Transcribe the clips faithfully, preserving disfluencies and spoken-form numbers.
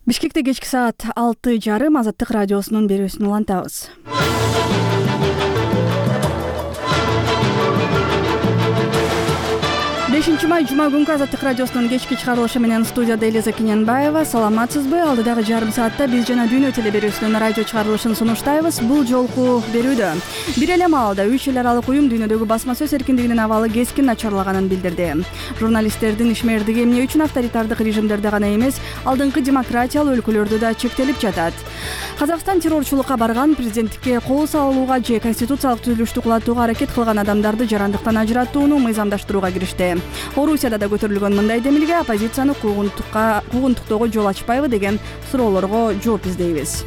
Бишкекте кечки саат алты жарым Азаттык радиосунун берүүсүн улантабыз. бешинчи май жума күнкү Азаттык радиосунун кечки чыгарылышы менен студияда Элиза Кененбаева. Саламатсызбы? Алдыдагы жарым саатта биз жана Дүйнө теле берүүсүнүн радио чыгарылышын сунуштайбыз. Бул жолку берүүдө бир эле маалда үч эл аралык уюм дүйнөдөгү басма сөз эркиндигинин абалы кескин начарлаганын билдирди. Журналисттердин ишмердиги эмне үчүн авторитардык режимдерде гана эмес, алдыңкы демократиялуу өлкөлөрдө да чектелип жатат? Казакстан террорчулукка барган, президенттикке кол салууга же конституциялык түзүлүштү кулатууга аракет кылган адамдарды жарандыктан ажыраттууну мыйзамдаштырууга киришти. Орусияда да көтөрүлгөн мындай демилге оппозицияны куугунтукка куугунтуктоого жол ачпайбы деген суроолорго жооп издейбиз.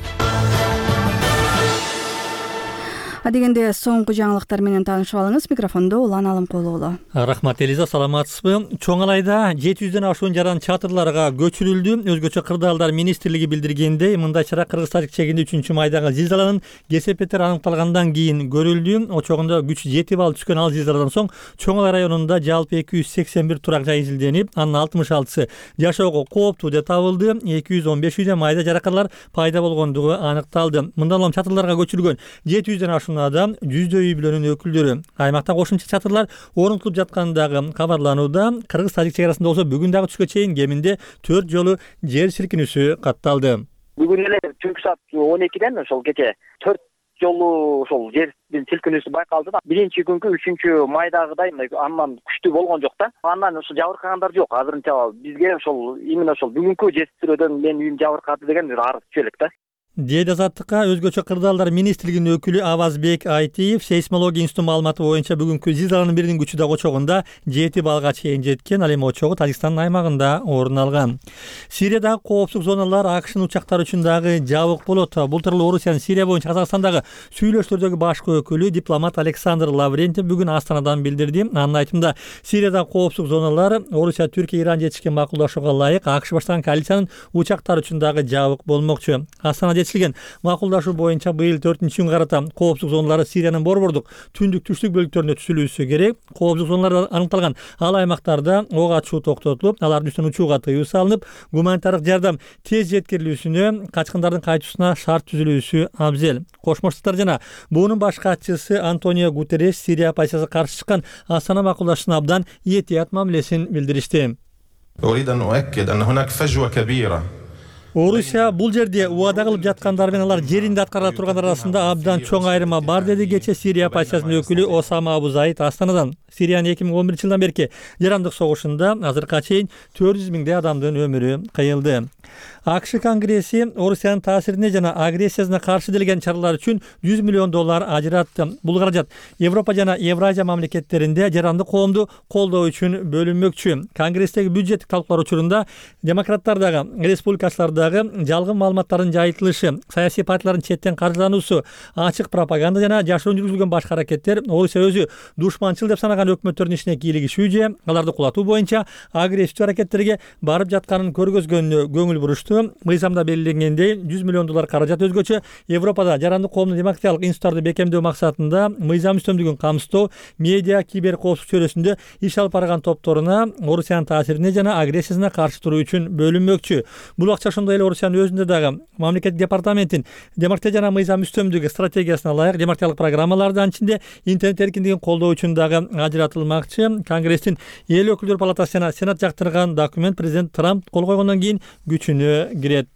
Адегенде соңку жаңылыктар менен таанышып алыңыз. Микрофондо Улан Алымкулуу. Рахмат Элиза, саламатсызбы? Чоң Алайда жети жүздөн ашуун жаран чатырларга көчүрүлдү. Өзгөчө кырдаалдар министрлиги билдиргендей, мындай чара Кыргызстан чегинде үчүнчү майдагы зилзаланын кесепеттери аныкталгандан кийин көрүлдү. Очогунда күч жети балл түшкөн ал зилзаладан соң Чоң Алай районунда жалпы эки жүз сексен бир турак жай изилденип, анын алтымыш алтысы жашоого кооптуу деп табылды. эки жүз он беш үйдө майда жаракаттар пайда болгондугу аныкталды. Мындан улам чатырларга көчүрүлгөн жети жүздөн ашуун адам жүздөй үй бүлөнүн өкүлдөрү. Аймакта кошумча чатырлар орнотулуп жаткандыгы кабарланууда. Кыргыз-Тажик чек арасында болсо бүгүн дагы түшкө чейин кеминде төрт жолу жер силкинүүсү катталды. Бүгүн эле түнкү саат он экиден ошол кече төрт жолу ошол жердин силкинүүсү байкалды да. Биринчи күнкү үчүнчү майдагыдай мындай андан күчтүү болгон жок да. Андан ошо жабыркагандар жок. Азырынча бизге ошол именно ошол бүгүнкү жер тирөөдөн менин үйүм жабыркады деген бир арыз түшө элек да. Дейт Азаттыкка өзгөчө кырдаалдар министрлигинин өкүлү Авазбек Айтиев. Сейсмология институтунун маалыматы боюнча бүгүнкү зилзаланын биринин күчү да очогунда жети баллга чейин жеткен. Ал эми очогу Тажикстандын аймагында орун алган. Сириядагы коопсуздук зоналар АКШнын учактары үчүн дагы жабык болот. Бул тууралуу Орусиянын Сирия боюнча Казакстандагы сүйлөшүүлөрдөгү башкы өкүлү дипломат Александр Лаврентьев бүгүн Астанадан билдирди. Анын айтымында Сириядагы коопсуздук зоналар Орусия, Түркия, Иран жетишкен макулдашууга ылайык АКШ баштаган коалициянын учактары үчүн дагы жабык болмокчу. Астанада жетишилген макулдашуу боюнча быйыл төртүнчү күнгө карата коопсуздук зоналары Сириянын борбордук түндүк түштүк бөлүктөрүнө түзүлүүсү керек. Коопсуздук зоналары аныкталган ал аймактарда ок ачуу токтотулуп, алардын үстүнөн учууга тыюу салынып, гуманитардык жардам тез жеткирилүүсүнө, качкындардын кайтуусуна шарт түзүлүүсү абзел. Кошмо Штаттар жана буунун баш катчысы Антонио Гутерреш Сирия оппозициясына каршы чыккан Астана макулдашууна абдан этият мамилесин билдиришти. Орусия бул жерде убада кылып жаткандар менен алар жеринде аткара тургандар арасында абдан чоң айырма бар, деди кечээ Сирия оппозициясынын өкүлү Осама Абу Заид Астанадан. Сириянын эки миң он биринчи жылдан берки жарандык согушунда азыркыга чейин төрт жүз миңдей адамдын өмүрү кыйылды. АКШ Конгресси Орусиянын таасирине жана агрессиясына каршы делген чаралар үчүн жүз миллион доллар ажыратты. Бул каражат Европа жана Евразия мамлекеттеринде жарандык коомду колдоо үчүн бөлүнмөкчү. Конгресстеги бюджеттик талкуулар учурунда демократтар дагы, республикачылар дагы жалгын маалыматтардын жайылтылышы, саясий партиялардын четтен каржылануусу, ачык пропаганда жана жашыруун жүргүзүлгөн башка аракеттер Орусия өзү душманчыл деп санаган өкмөттөрдүн ишине кийлигишүү же аларды кулатуу боюнча агрессивдүү аракеттерге барып жатканын көргөзгөнүнө көңүл бурушту. Мыйзамда белгиленгендей жүз миллион доллар каражат өзгөчө Европада жарандык коомдун демократиялык институттарды бекемдөө максатында мыйзам үстөмдүгүн камсыздоо, медиа, кибер коопсуздук чөйрөсүндө иш алып барган топторуна Орусиянын таасирине жана агрессиясына каршы туруу үчүн бөлүнмөкчү. Бул акча ошондой эле Орусиянын өзүндө дагы мамлекеттик департаменттин демократия жана мыйзам үстөмдүгү стратегиясына ылайык демократиялык программаларды, анчинде интернет эркиндигин колдоо үчүн дагы ажыратылмакчы. Конгресстин эл өкүлдөр палатасы жана сенат жактырган документ президент Трамп кол койгондон кийин күчүнө кирет.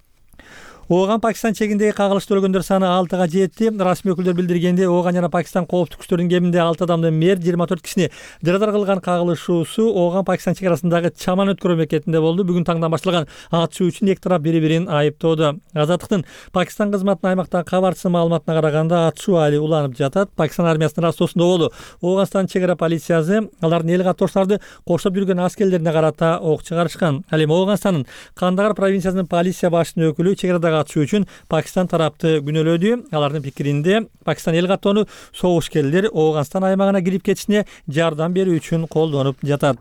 Ооган Пакистан чегиндеги кагылышты өлгөндөр саны алтыга жетти. Расмий өкүлдөр билдиргенде Ооган жана Пакистан коопсуздук күчтөрүнүн кеминде алты адамдын мерт, жыйырма төрт кишини жарадар кылган кагылышуусу Ооган Пакистан чек арасындагы Чаман өткөрүү мекенинде болду. Бүгүн таңдан башталган атышуу үчүн эки тарап бири-бирин айыптоодо. Азаттыктын Пакистан кызматынын аймактагы кабарчысы маалыматына караганда атышуу али уланып жатат. Пакистан армиясынын растоосунда болду. Ооганстан чек ара полициясы алардын эл каттоочуларды коштоп жүргөн аскерлерине карата ок чыгарышкан. Ал эми Ооганстандын Кандагар провинциясынын полиция башчынын өкүлү чек арада атышуу үчүн Пакистан тарапты күнөөлөдү. Алардын пикиринде Пакистан эл каттоону согушкерлер Ооганстан аймагына кирип кетишине жардам берүү үчүн колдонуп жатат.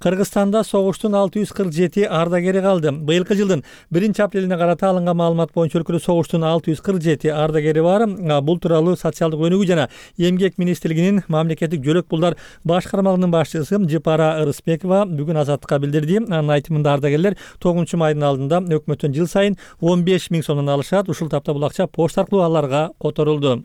Кыргызстанда согуштун алты жүз кырк жети ардагери калды. Быйылкы жылдын биринчи апрелине карата алынган маалымат боюнча өлкөдө согуштун алты жүз кырк жети ардагери бар. Бул тууралуу социалдык өнүгүү жана эмгек министрлигинин мамлекеттик жөлөк пулдар башкармалыгынын башчысы Жыпара Ырысбекова бүгүн Азаттыкка билдирди. Анын айтымында ардагерлер тогузунчу майдын алдында өкмөттөн жыл сайын он беш миң сомдон алышат. Ушул тапта бул акча почта аркылуу аларга которулду.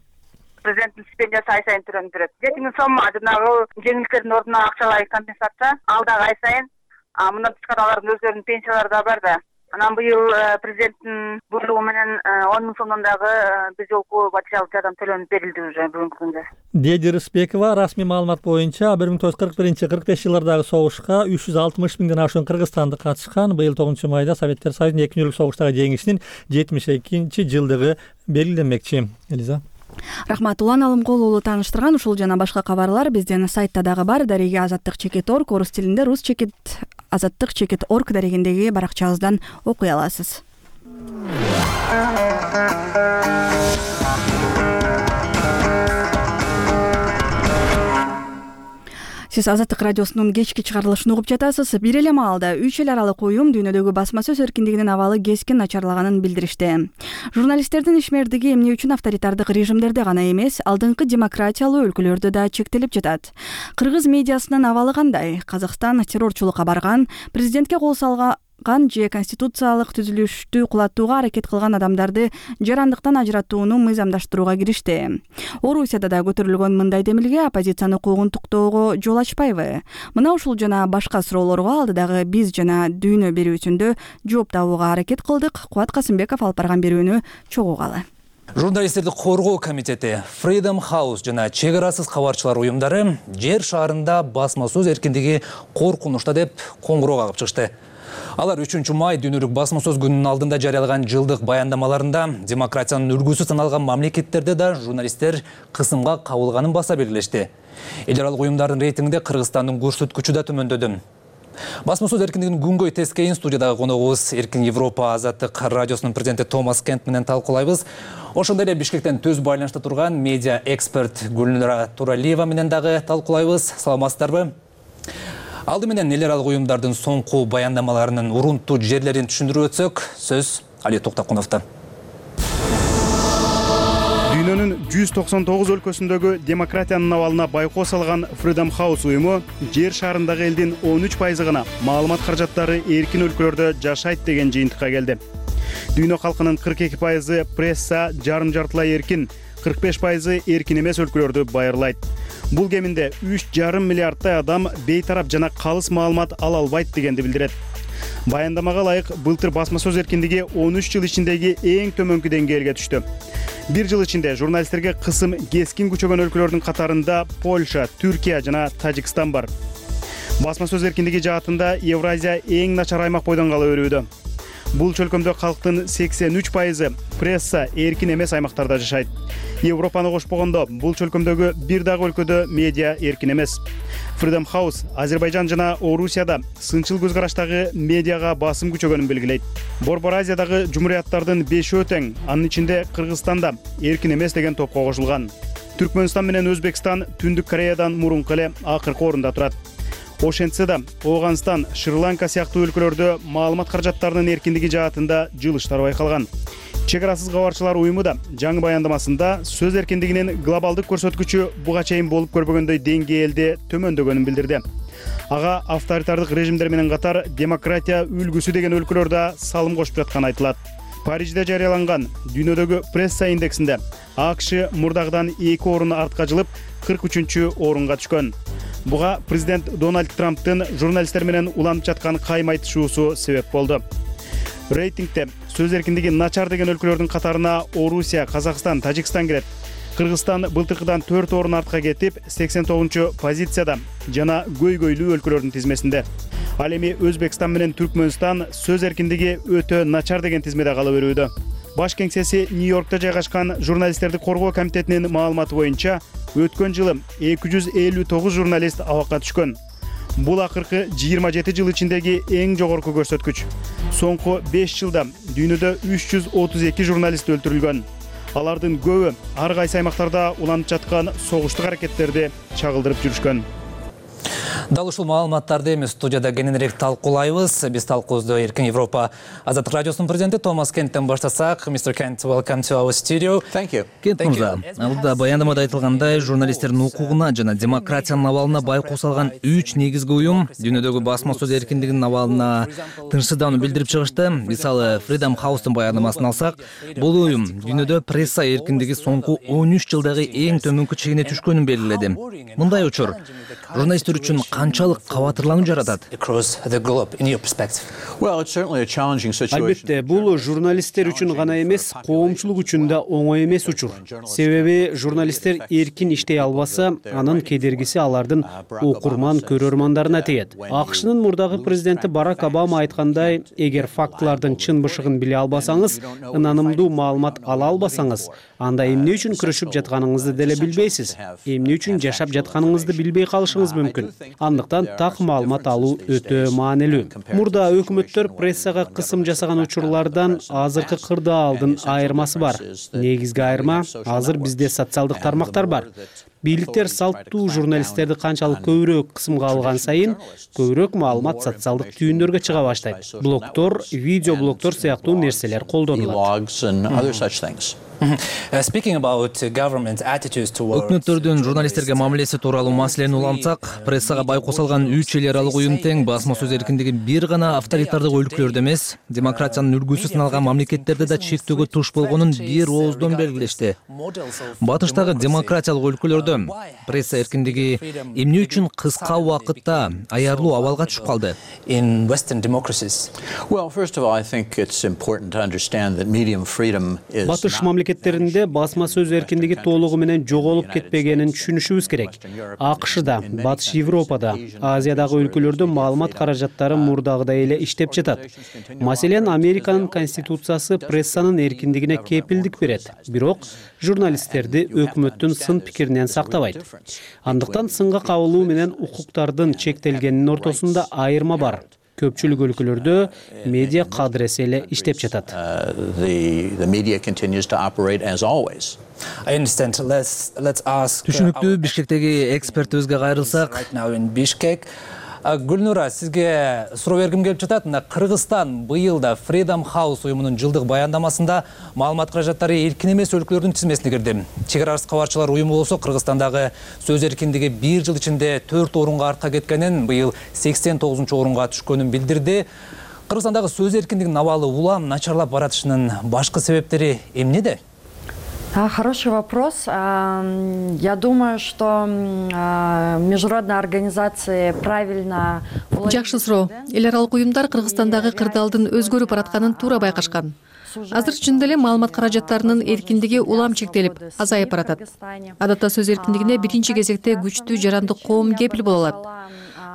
Президенттин стипендиясы ай сайын төлөнүп турат. жети миң сом жанагы жеңилдиктердин ордуна акчалай компенсация ал дагы ай сайын. А мындан тышкары алардын өздөрүнүн пенсиялары да бар да. Анан быйыл президенттин буйругу менен он миң сомдон дагы бир жолку материалдык жардам төлөнүп берилди уже бүгүнкү күндө. Деди Рысбекова расмий маалымат боюнча бир миң тогуз жүз кырк биринчи кырк беш жылдардагы согушка үч жүз алтымыш миңден ашуун кыргызстандык катышкан. Быйыл тогузунчу майда Советтер Союзунун эки күнүлүк согуштагы жеңишинин жетимиш экинчи жылдыгы белгиленмекчи. Элиза. Рахмат. Улан Алымкул уулу тааныштырган ушул жана башка кабарлар биздин сайтта дагы бар. Дареги азаттык чекит точка орг орус тилинде рус чекит азаттык чекит точка орг дарегиндеги баракчабыздан окуй аласыз. Сиз Азаттык радиосунун кечки чыгарылышын угуп жатасыз. Бир эле маалда үч эл аралык уюм дүйнөдөгү басма сөз эркиндигинин абалы кескин начарлаганын билдиришти. Журналисттердин ишмердиги эмне үчүн авторитардык режимдерде гана эмес, алдыңкы демократиялуу өлкөлөрдө да чектелип жатат. Кыргыз медиасынын абалы кандай? Казакстан террорчулукка барган, президентке кол салган же конституциялык түзүлүштү кулатууга аракет кылган адамдарды жарандыктан ажыратууну мыйзамдаштырууга киришти. Орусияда да көтөрүлгөн мындай демилге оппозицияны куугунтуктоого жол ачпайбы? Мына ушул жана башка суроолорго алдыдагы биз жана дүйнө берүүсүндө жооп табууга аракет кылдык. Кубат Касымбеков алып барган берүүнү чогуугалы. Журналисттерди коргоо комитети, Freedom House жана чек арасыз кабарчылар уюмдары жер шаарында басма сөз эркиндиги коркунучта деп коңгуроо кагып чыгышты. Алар үчүнчү май дүйнөлүк басма сөз күнүнүн алдында жарыялаган жылдык баяндамаларында демократиянын үлгүсү саналган мамлекеттерде да журналисттер кысымга кабылганын баса белгилешти. Эл аралык уюмдардын рейтингинде Кыргызстандын көрсөткүчү да төмөндөдү. Басма сөз эркиндигин күнгөй тескейин студиядагы коногубуз Эркин Европа Азаттык радиосунун президенти Томас Кент менен талкуулайбыз. Ошондой эле Бишкектен түз байланышта турган медиа эксперт Гүлнара Туралиева менен дагы талкуулайбыз. Саламатсыздарбы? Алды менен эл аралык уюмдардын соңку баяндамаларынын урунтуу жерлерин түшүндүрүп өтсөк, сөз Али Токтокуновдо. Дүйнөнүн жүз токсон тогуз өлкөсүндөгү демократиянын абалына байкоо салган Freedom House уюму жер шаарындагы элдин он үч пайызы гана маалымат каражаттары эркин өлкөлөрдө жашайт деген жыйынтыкка келди. Дүйнө калкынын кырк эки пайызы пресса жарым жартылай эркин, кырк беш пайызы эркин эмес өлкөлөрдү байырлайт. Бул кеминде үч жарым миллиардтай адам бейтарап жана калыс маалымат ала албайт дегенди билдирет. Баяндамага ылайык былтыр басма сөз эркиндиги он үч жыл ичиндеги эң төмөнкү деңгээлге түштү. Бир жыл ичинде журналисттерге кысым кескин күчөгөн өлкөлөрдүн катарында Польша, Түркия жана Тажикстан бар. Басма сөз эркиндиги жаатында Евразия эң начар аймак бойдон кала берүүдө. Бул чөлкөмдө калктын сексен үч пайызы пресса эркин эмес аймактарда жашайт. Европаны кошпогондо бул чөлкөмдөгү бир дагы өлкөдө медиа эркин эмес. Freedom House Азербайжан жана Орусияда сынчыл көз караштагы медиага басым күчөгөнүн белгилейт. Борбор Азиядагы жумурияттардын бешөө тең, анын ичинде Кыргызстанда эркин эмес деген топко кошулган. Түркмөнстан менен Өзбекстан Түндүк Кореядан мурунку эле акыркы орунда турат. Ошентсе да Ооганстан, Шри-Ланка сыяктуу өлкөлөрдө маалымат каражаттарынын эркиндиги жаатында жылыштар байкалган. Чек арасыз кабарчылар уюму да жаңы баяндамасында сөз эркиндигинин глобалдык көрсөткүчү буга чейин болуп көрбөгөндөй деңгээлде төмөндөгөнүн билдирди. Ага авторитардык режимдер менен катар демократия үлгүсү деген өлкөлөр да салым кошуп жатканы айтылат. Парижде жарыяланган дүйнөдөгү пресса индексинде АКШ мурдагыдан эки орун артка жылып кырк үчүнчү орунга түшкөн. Буга президент Дональд Трамптын журналисттер менен уланып жаткан кайма айтышуусу себеп болду. Рейтингде сөз эркиндиги начар деген өлкөлөрдүн катарына Орусия, Казакстан, Тажикстан кирет. Кыргызстан былтыркыдан төрт орун артка кетип, сексен тогузунчу позицияда жана көйгөйлүү өлкөлөрдүн тизмесинде. Ал эми Өзбекстан менен Түркмөнстан сөз эркиндиги өтө начар деген тизмеде кала берүүдө. Баш кеңсеси Нью-Йоркто жайгашкан журналисттерди коргоо комитетинин маалыматы боюнча өткөн жылы эки жүз элүү тогуз журналист абакка түшкөн. Бул акыркы жыйырма жети жыл ичиндеги эң жогорку көрсөткүч. Соңку беш жылда дүйнөдө үч жүз отуз эки журналист өлтүрүлгөн. Алардын көбү ар кайсы аймактарда уланып жаткан согуштук аракеттерди чагылдырып жүрүшкөн. Дал ушул маалыматтарды эми студияда кененирээк талкуулайбыз. Биз талкуубузду Эркин Европа Азаттык радиосунун президенти Томас Кенттен баштасак. мистер Kent, welcome to our studio. Thank you. Кент мырза, алда баяндамада айтылгандай, журналисттердин укугуна жана демократиянын абалына байкоо салган үч негизги уюм дүйнөдөгү басма сөз эркиндигинин абалына тынчсыздоону билдирип чыгышты. Мисалы, Freedom House'тун баяндамасын алсак, бул уюм дүйнөдө пресса эркиндиги соңку он үч жылдагы эң төмөнкү чегине түшкөнүн белгиледи. Мындай учур журналисттер үчүн канчалык кабатырлануу жаратат? Албетте, бул журналисттер үчүн гана эмес, коомчулук үчүн да оңой эмес учур. Себеби журналисттер эркин иштей албаса, анын кедергиси алардын окурман көрөрмандарына тиет. АКШнын мурдагы президенти Барак Обама айткандай, эгер фактылардын чын бышыгын биле албасаңыз, ынанымдуу маалымат ала албасаңыз, анда эмне үчүн күрөшүп жатканыңызды деле билбейсиз. Эмне үчүн жашап жатканыңызды билбей калышыңыз мүмкүн. Андыктан так маалымат алуу өтө маанилүү. Мурда өкмөттөр прессага кысым жасаган учурлардан азыркы кырдаалдын айырмасы бар. Негизги айырма азыр бизде социалдык тармактар бар. Бийликтер салттуу журналисттерди канчалык көбүрөөк кысымга алган сайын, көбүрөөк маалымат социалдык түйүндөргө чыга баштайт. Блогтор, видео блогтор сыяктуу нерселер колдонулат. Өкмөттөрдүн журналисттерге мамилеси тууралуу маселени улантсак, прессага байкоо салган үч эл аралык уюм тең басма сөз эркиндиги бир гана авторитардык өлкөлөрдө эмес, демократиянын үлгүсү сыналган мамлекеттерде да чектөөгө туш болгонун бир ооздон белгилешти. Батыштагы демократиялык өлкөлөрдө пресса эркиндиги эмне үчүн кыска убакытта аярлуу абалга түшүп калды? Батыш мамлекеттеринде басма сөз эркиндиги толугу менен жоголуп кетпегенин түшүнүшүбүз керек. АКШда, Батыш Европада, Азиядагы өлкөлөрдө маалымат каражаттары мурдагыдай эле иштеп жатат. Маселен, Американын конституциясы прессанын эркиндигине кепилдик берет, бирок журналисттерди өкмөттүн сын пикиринен сактабайт. Андыктан сынга кабылуу менен укуктардын чектелгенинин ортосунда айырма бар. Көпчүлүк өлкөлөрдө медиа кадыресе эле иштеп жатат. Түшүнүктүү, Бишкектеги экспертибизге кайрылсак. Гүлнура, сизге суроо бергим келип жатат. Мына Кыргызстан быйыл да Freedom House уюмунун жылдык баяндамасында маалымат каражаттары эркин эмес өлкөлөрдүн тизмесине кирди. Чек арасы кабарчылар уюму болсо Кыргызстандагы сөз эркиндиги бир жыл ичинде төрт орунга артка кеткенин, быйыл сексен тогузунчу орунга түшкөнүн билдирди. Кыргызстандагы сөз эркиндигинин абалы улам начарлап баратышынын башкы себептери эмнеде? Хороший вопрос. Я думаю, что международные организации правильно... Жакшы суроо. Эл аралык уюмдар Кыргызстандагы кырдаалдын өзгөрүп баратканын туура байкашкан. Азыр чын эле маалымат каражаттарынын эркиндиги улам чектелип, азайып баратат. Адатта сөз эркиндигине биринчи кезекте күчтүү жарандык коом кепил боло алат.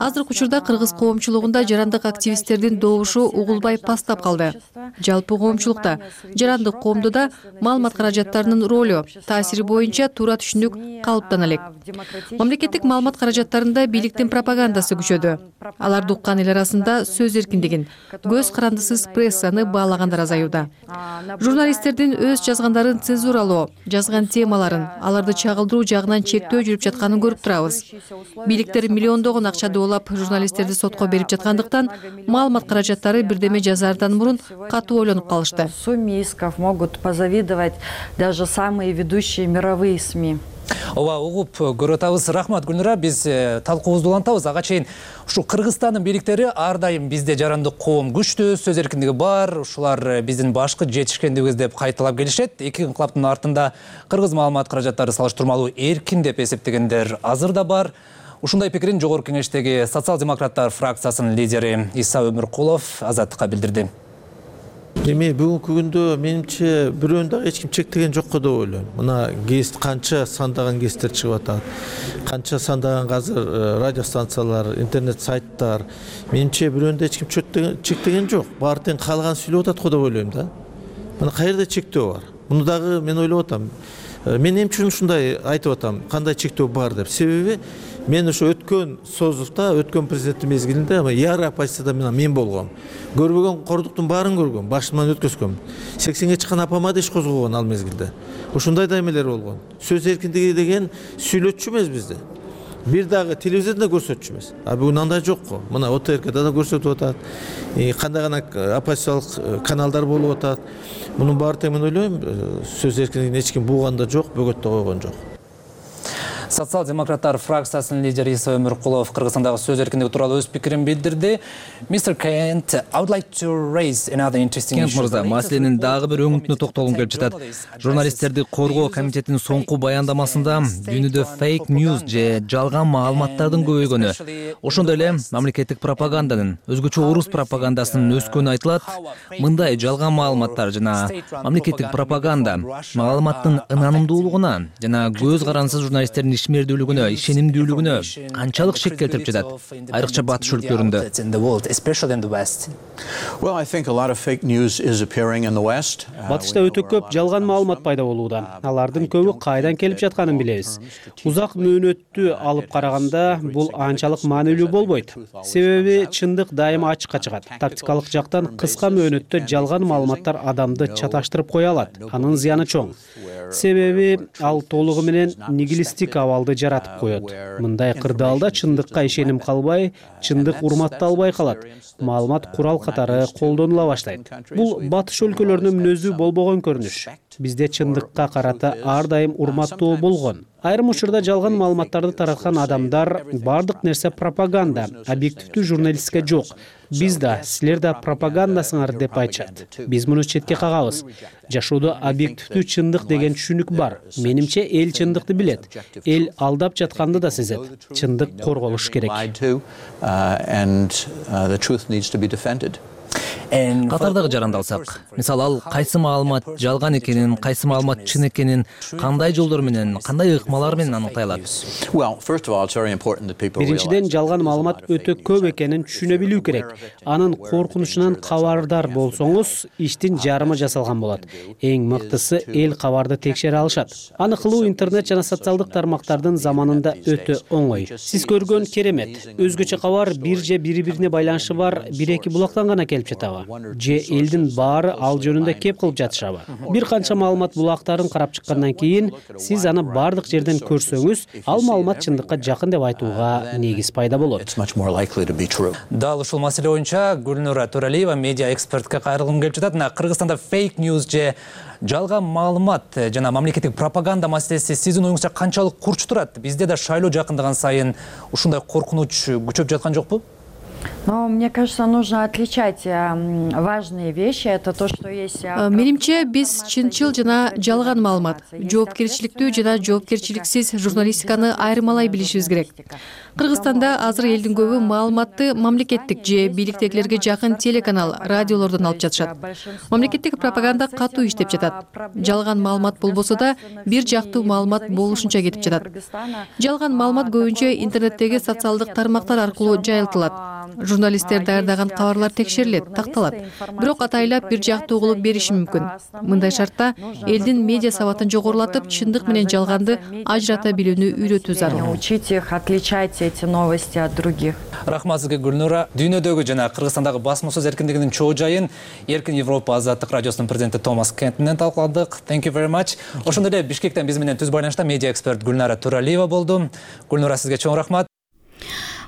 Азыркы учурда кыргыз коомчулугунда жарандык активисттердин добушу угулбай пастап калды. Жалпы коомчулукта, жарандык коомдо да маалымат каражаттарынын ролу, таасири боюнча туура түшүнүк калыптана элек. Мамлекеттик маалымат каражаттарында бийликтин пропагандасы күчөдү. Аларды уккан эл арасында сөз эркиндигин, көз карандысыз прессаны баалагандар азаюуда. Журналисттердин өз жазгандарын цензуралоо, жазган темаларын, аларды чагылдыруу жагынан чектөө жүрүп жатканын көрүп турабыз. Бийликтер миллиондогон акча журналисттерди сотко берип жаткандыктан маалымат каражаттары бирдеме жазаардан мурун катуу ойлонуп калышты. Сумме исков могут позавидовать даже самые ведущие мировые СМИ. Ооба, угуп көрүп атабыз. Рахмат, Гүлнура. Биз талкуубузду улантабыз. Ага чейин ушу Кыргызстандын бийликтери ар дайым бизде жарандык коом күчтүү, сөз эркиндиги бар, ушулар биздин башкы жетишкендигибиз деп кайталап келишет. Эки инкылаптын артында кыргыз маалымат каражаттары салыштырмалуу эркин деп эсептегендер азыр да бар. Ушундай пикирин Жогорку Кеңештеги социал-демократтар фракциясынын лидери Иса Өмүркулов Азаттыкка билдирди. Эми бүгүнкү күндө менимче бирөөнү дагы эч ким чектеген жок деп ойлойм. Мына гест канча сандаган гесттер чыгып атат. Канча сандаган азыр радио станциялар, интернет сайттар. Менимче бирөөнү эч ким чектеген жок. Баары тең каалаган сүйлөп атат го деп ойлойм да. Мына каерде чектөө бар? Муну дагы мен ойлоп атам. Мен эмне үчүн ушундай айтып атам, кандай чектөө бар деп. Себеби мен ошо өткөн созувда, өткөн президенттик мезгилинде яры оппозицияда мен болгом. Көрбөгөн кордуктун баарын көргөм, башымдан өткөзгөм. сексенге чыккан апама да иш козгогон ал мезгилде. Ушундай да эмелер болгон. Сөз эркиндиги деген сүйлөтчү эмес бизде. бир дагы телевизордо көрсөтчү эмес. А бүгүн андай жок го. Мына О Т Р К'да да көрсөтүп атат. Кандай гана оппозициялык каналдар болуп атат. Мунун баары тең мен ойлойм, сөз эркиндигин эч ким бууган да жок, бөгөт да койгон жок. Социал-демократтар фракциясынын лидери Иса Өмүркулов Кыргызстандагы сөз эркиндиги тууралуу өз пикирин билдирди. мистер Kent, I would like to raise another interesting issue. Кент мырза, маселенин дагы бир өңүтүнө токтолгум келип жатат. Журналисттерди коргоо комитетинин соңку баяндамасында дүйнөдө фейк ньюс же жалган маалыматтардын көбөйгөнү, ошондой эле мамлекеттик пропаганданын, өзгөчө орус пропагандасынын өскөнү айтылат. Мындай жалган маалыматтар жана мамлекеттик пропаганда маалыматтын ынанымдуулугуна жана көз карансыз журналисттердин ишмердүүлүгүнө, ишенимдүүлүгүнө канчалык шек келтирип жатат, айрыкча батыш өлкөлөрүндө. Батышта өтө көп жалган маалымат пайда болууда. Алардын көбү кайдан келип жатканын билебиз. Узак мөөнөттү алып караганда бул анчалык маанилүү болбойт. Себеби чындык дайыма ачыкка чыгат. Тактикалык жактан кыска мөөнөттө жалган маалыматтар адамды чаташтырып кое алат. Анын зыяны чоң. Себеби ал толугу менен нигилисттик абалды жаратып коет. Мындай кырдаалда чындыкка ишеним калбай, чындык урматталбай калат. Маалымат курал катары колдонула баштайт. Бул батыш өлкөлөрүнүн мүнөзү болбогон көрүнүш. Бизде чындыкка карата ар дайым урматтуу болгон. Айрым учурда жалган маалыматтарды тараткан адамдар бардык нерсе пропаганда, объективдүү журналистика жок. Биз да, силер да пропагандасыңар деп айтышат. Биз муну четке кагабыз. Жашоодо объективдүү чындык деген түшүнүк бар. Менимче эл чындыкты билет. Эл алдап жатканды да сезет. Чындык корголуш керек. Катардагы жаранды алсак, мисалы ал кайсы маалымат жалган экенин, кайсы маалымат чын экенин кандай жолдор менен, кандай ыкмалар менен аныктай алат? Биринчиден, жалган маалымат өтө көп экенин түшүнө билүү керек. Анын коркунучунан кабардар болсоңуз, иштин жарымы жасалган болот. Эң мыктысы эл кабарды текшере алышат. Аны кылуу интернет жана социалдык тармактардын заманында өтө оңой. Сиз көргөн керемет. Өзгөчө кабар бир же бири-бирине байланышы бар бир-эки булактан гана келип жатабы? Же элдин баары ал жөнүндө кеп кылып жатышабы? Бир канча маалымат булактарын карап чыккандан кийин сиз аны бардык жерден көрсөңүз, ал маалымат чындыкка жакын деп айтууга негиз пайда болот. Дал ушул маселе боюнча Гүлнура Төралиева медиа экспертке кайрылгым келип жатат. Кыргызстанда фейк ньюс же жалган маалымат жана мамлекеттик пропаганда маселеси сиздин оюңузча канчалык курч турат? Бизде да шайлоо жакындаган сайын ушундай коркунуч күчөп жаткан жокпу? Но мне кажется, нужно отличать важные вещи. Это то, что есть. Менимче биз чынчыл жана жалган маалымат, жоопкерчиликтүү жана жоопкерчиликсиз журналистиканы айырмалай билишибиз керек. Кыргызстанда азыр элдин көбү маалыматты мамлекеттик же бийликтегилерге жакын телеканал, радиолордон алып жатышат. Мамлекеттик пропаганда катуу иштеп жатат. Жалган маалымат болбосо да бир жактуу маалымат болушунча кетип жатат. Жалган маалымат көбүнчө интернеттеги социалдык тармактар аркылуу жайылтылат. Журналисттер даярдаган кабарлар текшерилет, такталат. Бирок атайлап бир жактуу кылып бериши мүмкүн. Мындай шартта элдин медиа сабатын жогорулатып, чындык менен жалганды ажырата билүүнү үйрөтүү зарыл. Учить их отличать эти новости от других. Рахмат сизге, Гүлнура. Дүйнөдөгү жана Кыргызстандагы басма сөз эркиндигинин чоо жайын Эркин Европа азаттык радиосунун президенти Томас Кент менен талкууладык. Thank you very much. Ошондой эле Бишкектен биз менен түз байланышта медиа эксперт Гүлнара Төралиева болду. Гүлнура, сизге чоң рахмат.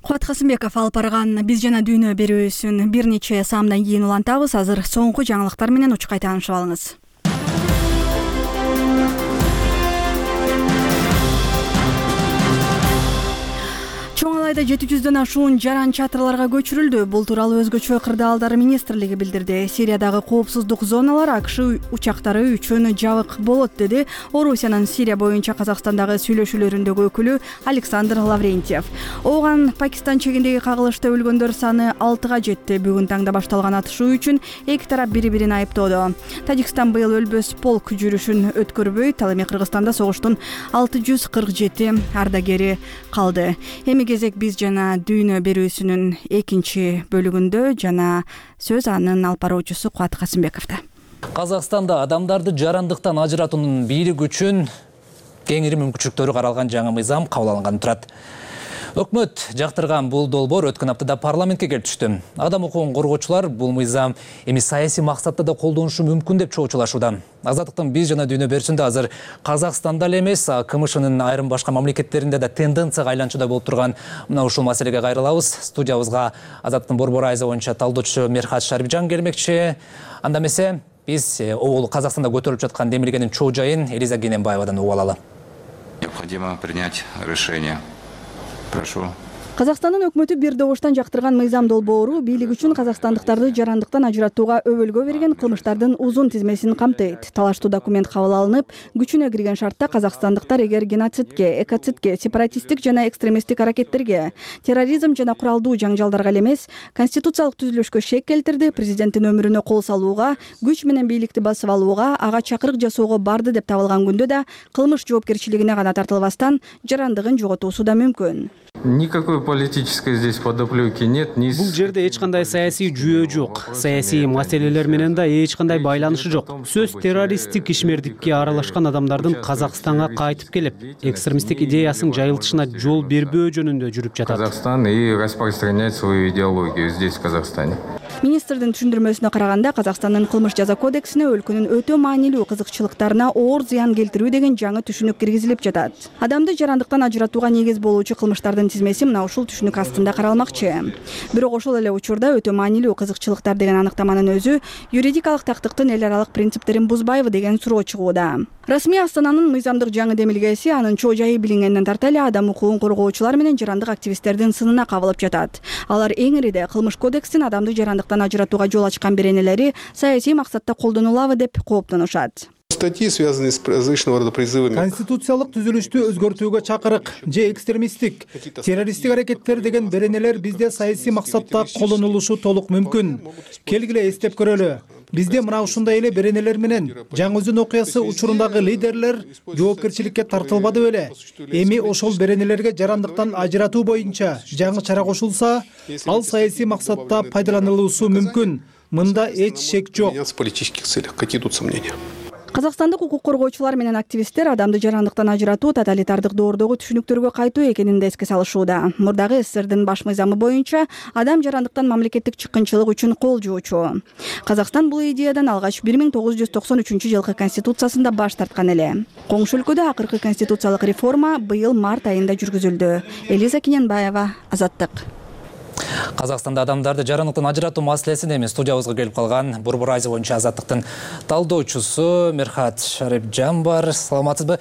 Кубат Касымбеков алып барган биз жана дүйнө берүүсүн бир нече саамдан кийин улантабыз. Азыр соңку жаңылыктар менен учкай таанышып алыңыз. Чоң Алайда жети жүздөн ашуун жаран чатырларга көчүрүлдү. Бул тууралуу өзгөчө кырдаалдар министрлиги билдирди. Сириядагы коопсуздук зоналар АКШ учактары үчүн жабык болот, деди Орусиянын Сирия боюнча Казакстандагы сүйлөшүүлөрүндөгү өкүлү Александр Лаврентьев. Оған Пакистан чегиндеги кагылышта өлгөндөр саны алтыга жетти. Бүгүн таңда башталган атышуу үчүн эки тарап бири-бирин айыптоодо. Тажикстан быйыл өлбөс полк жүрүшүн өткөрбөйт. Ал эми Кыргызстанда согуштун алты жүз кырк жети ардагери калды. Эми кезек биз жана дүйнө берүүсүнүн экинчи бөлүгүндө жана сөз анын алып баруучусу Кубат Касымбековдо. Казакстанда адамдарды жарандыктан ажыратуунун бийлик үчүн кеңири мүмкүнчүлүктөрү каралган жаңы мыйзам кабыл алынган турат. Өкмөт жактырган бул долбоор өткөн аптада парламентке келип түштү. Адам укугун коргоочулар бул мыйзам эми саясий максатта да колдонушу мүмкүн деп чоочулашууда. Азаттыктын биз жана дүйнө берүүсүндө азыр Казакстанда эле эмес, КМШнын айрым башка мамлекеттеринде да тенденцияга айланчуда болуп турган мына ушул маселеге кайрылабыз. Студиябызга Азаттыктын борбор айзы боюнча талдоочусу Мерхат Шарипжан келмекчи. Анда эмесе биз ол Казакстанда көтөрүлүп жаткан демилгенин чоо жайын Элиза Гененбаевадан угуп алалы. Необходимо принять решение. Прошу. Казакстандын өкмөтү бир добуштан жактырган мыйзам долбоору бийлик үчүн казакстандыктарды жарандыктан ажыратууга өбөлгө берген кылмыштардын узун тизмесин камтыйт. Талаштуу документ кабыл алынып, күчүнө кирген шартта казакстандыктар эгер геноцидке, экоцидке, сепаратисттик жана экстремисттик аракеттерге, терроризм жана куралдуу жаңжалдарга эле эмес, конституциялык түзүлүшкө шек келтирди, президенттин өмүрүнө кол салууга, күч менен бийликти басып алууга, ага чакырык жасоого барды деп табылган күндө да кылмыш жоопкерчилигине гана тартылбастан жарандыгын жоготуусу да мүмкүн. Никакой политической здесь подоплеки нет. Бул жерде эч кандай саясий жүйө жок. Саясий маселелер менен да эч кандай байланышы жок. Сөз террористтик ишмердикке аралашкан адамдардын Казакстанга кайтып келип, экстремисттик идеясын жайылтышына жол бербөө жөнүндө жүрүп жатат. Казахстан и распространять свою идеологию здесь, в Казахстане. Министрдин түшүндүрмөсүнө караганда, Казакстандын кылмыш жаза кодексине өлкөнүн өтө маанилүү кызыкчылыктарына оор зыян келтирүү деген жаңы түшүнүк киргизилип жатат. Адамды жарандыктан ажыратууга негиз болуучу кылмыштардын тизмеси мына ушул түшүнүк астында каралмакчы. Бирок ошол эле учурда өтө маанилүү кызыкчылыктар деген аныктаманын өзү юридикалык тактыктын эл аралык принциптерин бузбайбы деген суроо чыгууда. Расмий Астананын мыйзамдык жаңы демилгеси анын чоо жайы билингенден тарта эле адам укугун коргоочулар менен жарандык активисттердин сынына кабылып жатат. Алар эң ириде кылмыш кодекстин адамды жарандыктан ажыратууга жол ачкан беренелери саясий максатта колдонулабы деп кооптонушат. Статьи, связанные с различного рода призывами. Конституциялык түзүлүштү өзгөртүүгө чакырык же экстремисттик, террористтик аракеттер деген беренелер бизде саясий максатта колдонулушу толук мүмкүн. Келгиле эстеп көрөлү. Бизде мына ушундай эле беренелер менен Жаңы-Өзүн окуясы учурундагы лидерлер жоопкерчиликке тартылбады беле. Эми ошол беренелерге жарандыктан ажыратуу боюнча жаңы чара кошулса, ал саясий максатта пайдаланылуусу мүмкүн. Мында эч шек жок. В политических целях. Какие тут сомнения? Казакстандык укук коргоочулар менен активисттер адамды жарандыктан ажыратуу тоталитардык доордогу түшүнүктөргө кайтуу экенин да эске салышууда. Мурдагы СССРдин баш мыйзамы боюнча адам жарандыктан мамлекеттик чыккынчылык үчүн кол жуучу. Казакстан бул идеядан алгач бир миң тогуз жүз токсон үчүнчү жылкы конституциясында баш тарткан эле. Коңшу өлкөдө акыркы конституциялык реформа быйыл март айында жүргүзүлдү. Элиза Гененбаева, Азаттык. Казакстанда адамдарды жарандыктан ажыратуу маселесин эми студиябызга келип калган борбор айзы боюнча Азаттыктын талдоочусу Мерхат Шарипжан бар. Саламатсызбы?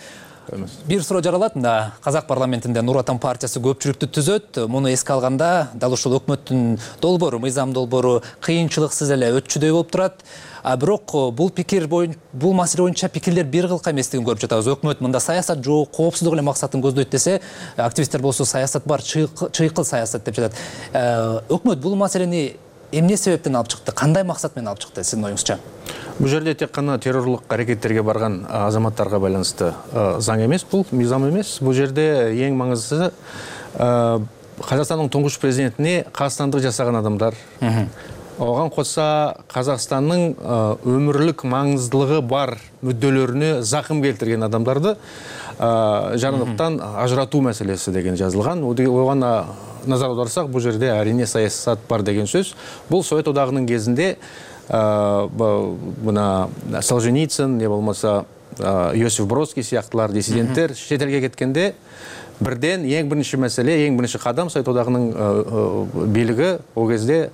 Бир суроо жаралат. Мында Казак парламентинде Нур Отан партиясы көпчүлүктү түзөт. Муну эске алганда дал ушул өкмөттүн долбоору, мыйзам долбоору кыйынчылыксыз эле өтчүдөй болуп турат. А бирок бул пикир боюнча, бул маселе боюнча пикирлер бир кылка эместигин көрүп жатабыз. Өкмөт мында саясат жок, коопсуздук эле максатын көздөйт десе, активисттер болсо саясат бар, чыйкыл саясат деп жатат. Өкмөт бул маселени эмне себептен алып чыкты? Кандай максат менен алып чыкты сиздин оюңузча? Бул жерде тек гана террорлук аракеттерге барган азаматтарга байланыштуу заң эмес, бул мыйзам эмес. Бул жерде эң маңыздысы Казакстандын туңгуч президентине кастандык жасаган адамдар. Оған қоса Қазақстанның өмірлік маңыздылығы бар мүдделеріне зақым келтірген адамдарды жарандыктан ажыратуу мәселесі деген жазылған. Оған назар аударсақ, бұл жерде әрине саясат бар деген сөз. Бұл Совет одағының кезінде мына Солженицын, не болмаса Иосиф Бродский сияқтылар диссиденттер шетелге кеткенде бірден ең бірінші мәселе, ең бірінші қадам Совет одағының билігі ол кезде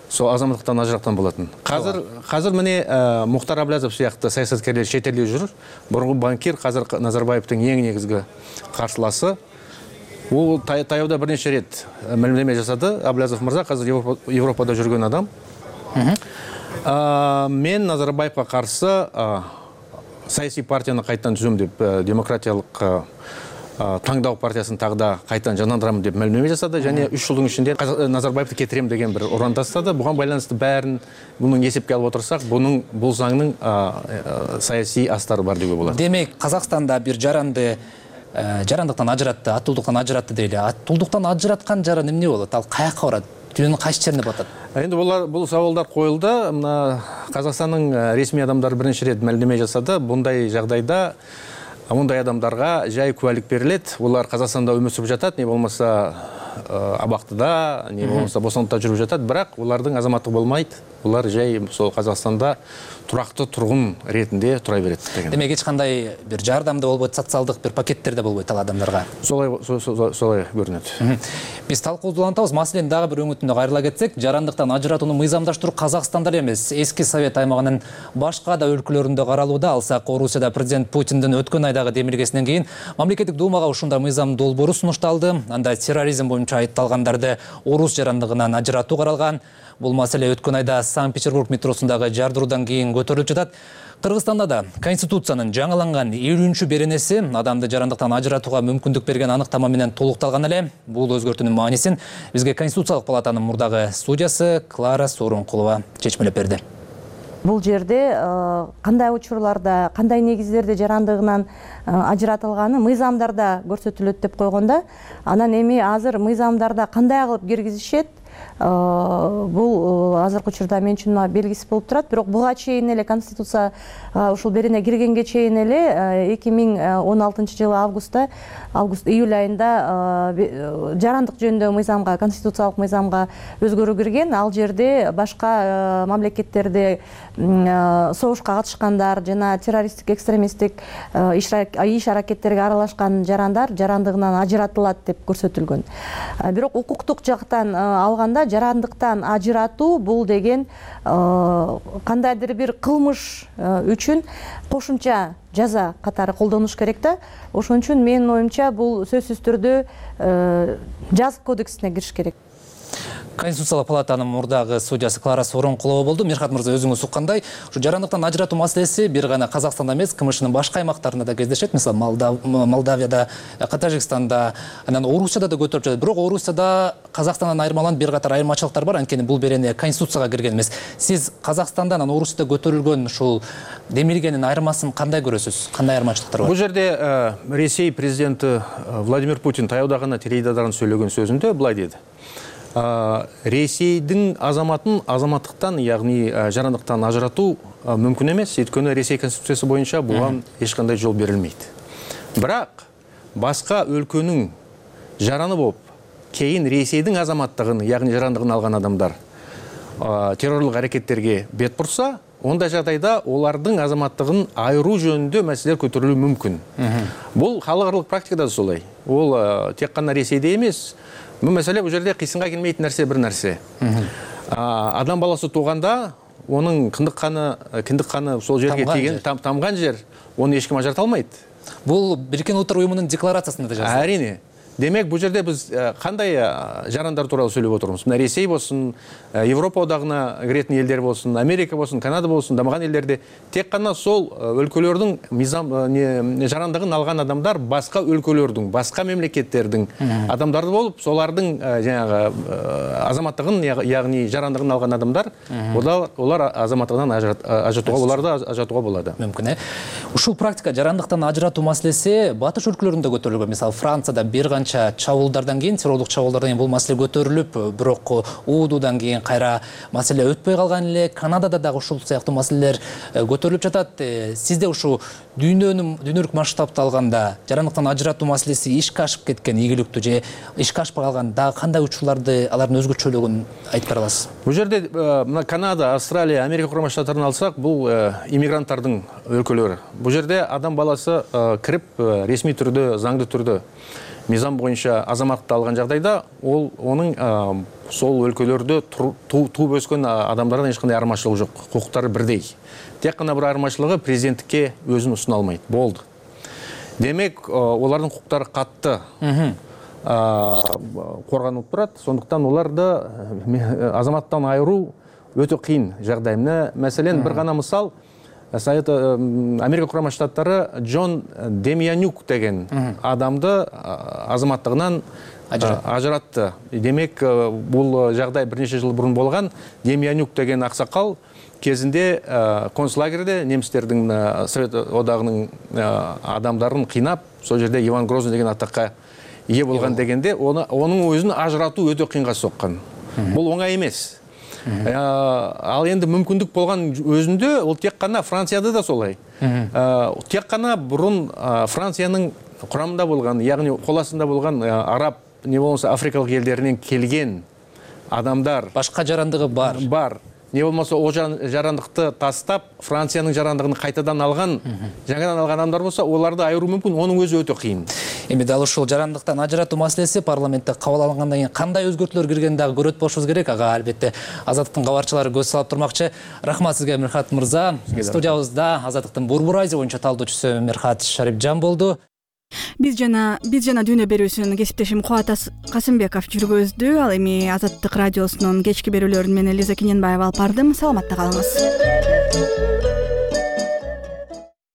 сол азаматтыктан ажыраттан болатын. Қазір қазір міне Мұхтар Аблязов сияқты саясаткерлер шетелде жүр. Бұрынғы банкир қазір Назарбаевтың ең негізгі қарсыласы. Ол таяуда бірнеше рет мәлімдеме жасады. Аблязов мырза қазір Европада жүрген адам. Мен Назарбаевқа қарсы саяси партияны қайттан түзем деп демократиялық таңдау партиясын тағда қайтан жандандырамын деп мәлімдеме жасады, және үш жылдың ішінде Назарбаевты кетірем деген бір ұран тастады. Бұған байланысты бәрін бұның есепке алып отырсақ, бұның бұл заңның саяси астары бар деуге болады. Демек, Қазақстанда бір жаранды жарандыктан ажыратты, аттуулдуктан ажыратты дейли. Аттуулдуктан ажыраткан жаран эмне болот? Ал каяка барат? Дүйнөнүн кайсы жерине батат? Енді бұл сауалдар қойылды. Мына Қазақстанның ресми адамдары бірінші рет мәлімдеме жасады. Бұндай жағдайда Мұндай адамдарға жай куәлік берілет, олар Қазақстанда өмір сүріп жатат, не болмаса абактыда, не болмаса босонтуда жүрүп жатат, бирок улардын азаматтыгы болмайт. Улар жай сол Казакстанда турактуу тургун ретинде тура берет деген. Демек эч кандай бир жардамда болбойт, социалдык бир пакеттер да болбойт ал адамдарга. Солай солай көрүнөт. Биз талкуубузду улантабыз. Маселенин дагы бир өңүтүнө кайрыла кетсек, жарандыктан ажыратууну мыйзамдаштыруу Казакстанда эле эмес, эски Совет аймагынын башка да өлкөлөрүндө каралууда. Алсак, Орусияда президент Путиндин өткөн айдагы демилгесинен кийин мамлекеттик думага ушундай мыйзам долбоору сунушталды. Анда терроризм боюнча айыпталгандарды орус жарандыгынан ажыратуу каралган. Бул маселе өткөн айда Санкт-Петербург метросундагы жардыруудан кийин көтөрүлүп жатат. Кыргызстанда да Конституциянын жаңыланган элүүнчү беренеси адамды жарандыктан ажыратууга мүмкүндүк берген аныктама менен толукталган эле. Бул өзгөртүүнүн маанисин бизге Конституциялык палатанын мурдагы судьясы Клара Сооронкулова чечмелеп берди. Бул жерде кандай учурларда, кандай негиздерде жарандыгынан ажыратылганы мыйзамдарда көрсөтүлөт деп койгондо, анан эми азыр мыйзамдарда кандай кылып киргизишет, бул азыркы учурда мен үчүн белгисиз болуп турат. Бирок буга чейин эле Конституция ушул берене киргенге чейин эле эки миң он алтынчы жылы августта, август июль айында жарандык жөнүндөгү мыйзамга, конституциялык мыйзамга өзгөрүү кирген. Ал жерде башка мамлекеттерде согушка катышкандар жана террористтик, экстремисттик иш аракеттерге аралашкан жарандар жарандыгынан ажыратылат деп көрсөтүлгөн. Бирок укуктук жактан алганда жарандыктан ажыратуу бул деген кандайдыр бир кылмыш үчүн кошумча жаза катары колдонуш керек да. Ошон үчүн менин оюмча бул сөзсүз түрдө жазык кодексине кириш керек. Конституциялык палатанын мурдагы судьясы Клара Сооронкулова болду. Мирхат мырза, өзүңүз уккандай, ушу жарандыктан ажыратуу маселеси бир гана Казакстанда эмес, КМШнын башка аймактарында да кездешет. Мисалы, Молдавияда, Тажикстанда, анан Орусияда да көтөрүлүп жатат. Бирок Орусияда Казакстандан айырмаланып бир катар айырмачылыктар бар, анткени бул берене Конституцияга кирген эмес. Сиз Казакстанда, анан Орусияда көтөрүлгөн ушул демилгенин айырмасын кандай көрөсүз? Кандай айырмачылыктар бар? Бул жерде Ресей президенти Владимир Путин таяуда гана теледидардан сөйлөгөн сөзүндө былай деди: Ресейдин азаматын азаматтыктан, ягни жарандыктан ажыратуу мүмкүн эмес, өйткөнү Ресей конституциясы боюнча буга эч кандай жол берилмейт. Бирок башка өлкөнүн жараны болуп, кийин Ресейдин азаматтыгын, ягни жарандыгын алган адамдар террорлук аракеттерге бет бурса, ондай жагдайда олардын азаматтыгын айыруу жөнүндө маселелер көтөрүлүшү мүмкүн. Бул халыкаралык практикада да солай. Ол тек гана Ресейде эмес. Бул маселе бул жерде кыйсынга келмейтин нерсе бир нерсе. Адам баласы тууганда, онун кындык каны, киндик каны сол жерге тийген, тамган жер, оны эч ким ажырата албайт. Бул Бириккен Улуттар уюмунун декларациясында да жазылган. Әрине. Демек, бул жерде биз кандай жарандар тууралуу сөйлөп отурмуз? Мына Ресей болсун, Европа одагына киретін елдер болсун, Америка болсун, Канада болсун, дамыган елдерде тек гана сол өлкөлөрдүн мыйзам жарандыгын алган адамдар башка өлкөлөрдүн, башка мемлекеттердин адамдары болуп, солардын жанагы азаматтыгын, ягни жарандыгын алган адамдар, олар азаматтыгынан ажыратууга, оларды ажыратууга болот. Мүмкүн э. Ушул практика жарандыктан ажыратуу маселеси батыш өлкөлөрүндө көтөрүлгөн. Мисалы, Францияда бир канча чабуулдардан кийин, террорлук чабуулдардан кийин бул маселе көтөрүлүп, бирок уудудан кийин кайра маселе өтпөй калган эле. Канадада дагы ушул сыяктуу маселелер көтөрүлүп жатат. Сизде ушу дүйнөнүн дүйнөлүк масштабта алганда жарандыктан ажыратуу маселеси ишке ашып кеткен ийгиликтүү же ишке ашпай калган дагы кандай учурларды, алардын өзгөчөлүгүн айтып бера аласыз? Бул жерде мына Канада, Австралия, Америка Курама Штаттарын алсак, бул иммигранттардын өлкөлөрү. Бул жерде адам баласы кирип ресми түрдө, заңдуу түрдө мыйзам боюнча азаматтыкты алган жагдайда, ол онун сол өлкөлөрдө тууп өскөн адамдардан эч кандай айырмачылыгы жок, укуктары бирдей. Тек гана бир айырмачылыгы президенттикке өзүн усуна алмайт. Болду. Демек, олардын укуктары катты корганылып турат. Сондуктан оларды азаматтан айыруу өтө кыйын жагдай. Мәселен, бир гана мисал, Совет Америка Курама Штаттары Джон Демьянюк деген адамды азаматтыгынан ажыратты. Демек, бул жагдай бир нече жыл бурун болгон. Демьянюк деген аксакал кезинде концлагерде немистердин Совет одагынын адамдарын кыйнап, сол жерде Иван Грозный деген атакка ээ болгон дегенде, онун өзүн ажыратуу өтө кыйынга соккон. Бул оңай эмес. Ал енді мүмкіндік болған өзінде, ол тек қана Францияда да солай. Тек қана бұрын Францияның құрамында болған, яғни қол астында болған араб не болмаса африкалык элдеринен келген адамдар, башка жарандыгы бар бар не болмаса о жарандыкты тастап Франциянын жарандыгын кайтадан алган, жаңадан алган адамдар болсо, оларды айыруу мүмкүн, онун өзү өтө кыйын. Эми дал ушул жарандыктан ажыратуу маселеси парламентте кабыл алынгандан кийин кандай өзгөртүүлөр киргенин дагы көрөт болушубуз керек. Ага албетте Азаттыктын кабарчылары көз салып турмакчы. Рахмат сизге, Мирхат мырза. Студиябызда Азаттыктын Борбор Азия боюнча талдоочусу Мирхат Шарипжан болду. Биз жана биз жана дүйнө берүүсүн кесиптешим Кубат Касымбеков жүргөздү. Ал эми Азаттык радиосунун кечки берүүлөрүн мен Элиза Кененбаева алып бардым. Саламатта калыңыз.